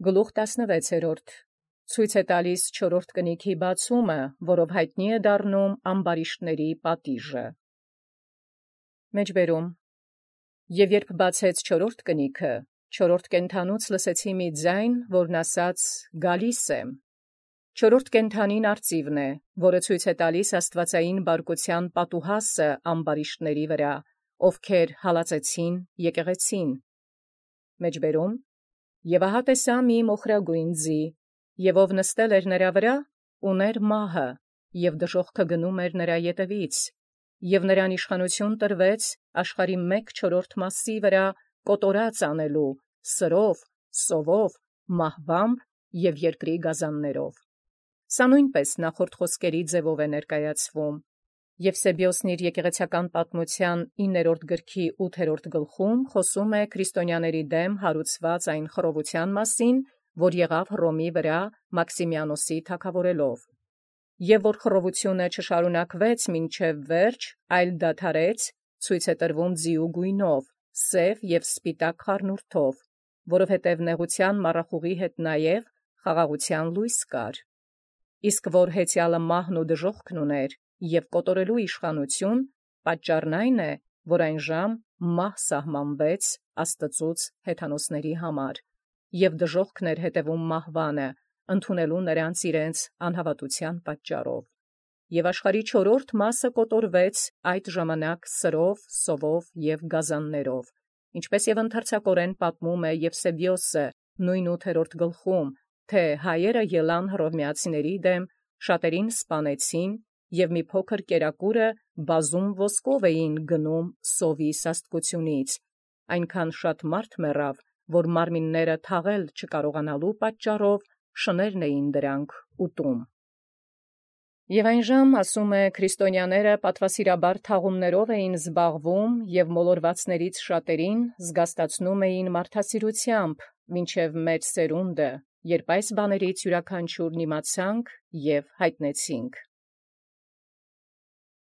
Գլուխ 16 ցույց է տալիս չորրորդ կնիքի բացումը, որով հայտնի է դառնում ամբարիշտների պատիժը։ Մեջբերում. Եւ երբ բացեց չորրորդ կնիքը, չորրորդ կենդանուց լսեցի մի ձայն, որն ասաց. «Գալիս եմ»։ Չորրորդ կենդանին արծիվն է, որը ցույց է տալիս աստվածային բարկության պատուհասը ամբարիշտների վրա, ովքեր հալածեցին եկեղեցին։ Մեջբերում. Եւ ահա տեսա մի մոխրագույն ձի, եւ ով նստել էր նրա վրա, ուներ մահը, եւ դժոխքը գնում էր նրա ետևից, եւ նրան իշխանություն տրվեց աշխարհի 1/4 վրա կոտորած անելու, սրով, սովով, մահվամբ եւ երկրի գազաններով։ Սա նույնպես նախորդ խոսքերի ձևով է ներկայացվում։ Եվսեբիոսն իր եկեղեցական պատմության 9-րդ գրքի 8-րդ գլխում խոսում է քրիստոնյաների դեմ հարուցված այն խռովության մասին, որ եղավ Հռոմի վրա Մաքսիմիանոսի թագավորելով։ Եվ որ խռովությունը չշարունակվեց մինչև վերջ, այլ դադարեց, ցույց է տրվում ձիու գույնով, սև եւ սպիտակ խառնուրդով, որովհետև նեղության մառախուղի հետ նաև խաղաղության լույս կար։ Իսկ որ հեծյալը մահն ու դժոխքն ուներ եւ կոտորելու իշխանություն, պատճառն այն է, որ այն ժամ մահ սահմանվեց Աստծուց հեթանոսների համար, եւ դժոխքն էր հետևում մահվանը, ընդունելու նրանց իրենց անհավատության պատճառով։ Եւ աշխարհի չորրորդ մասը կոտորվեց այդ ժամանակ սրով, սովով եւ գազաններով, ինչպես եւ ընդարձակորեն պատմում է Եվսեբիոսը նույն 8-րդ գլխում, թե հայերը ելան հռոմեացիների դեմ, շատերին սպանեցին, եւ մի փոքր կերակուրը բազում ոսկով էին գնում սովի սաստկությունից, այնքան շատ մարդ մեռավ, որ մարմինները թաղել չկարողանալու պատճառով շներն էին դրանք ուտում։ Եւ այն ժամ, ասում է, քրիստոնյաները պատվասիրաբար թաղումներով էին զբաղվում եւ մոլորվածներից շատերին զգաստացնում էին մարդասիրությամբ, մինչև մեր սերունդը, երբ այս բաներից յուրաքանչյուրն իմացանք եւ հայտնեցինք։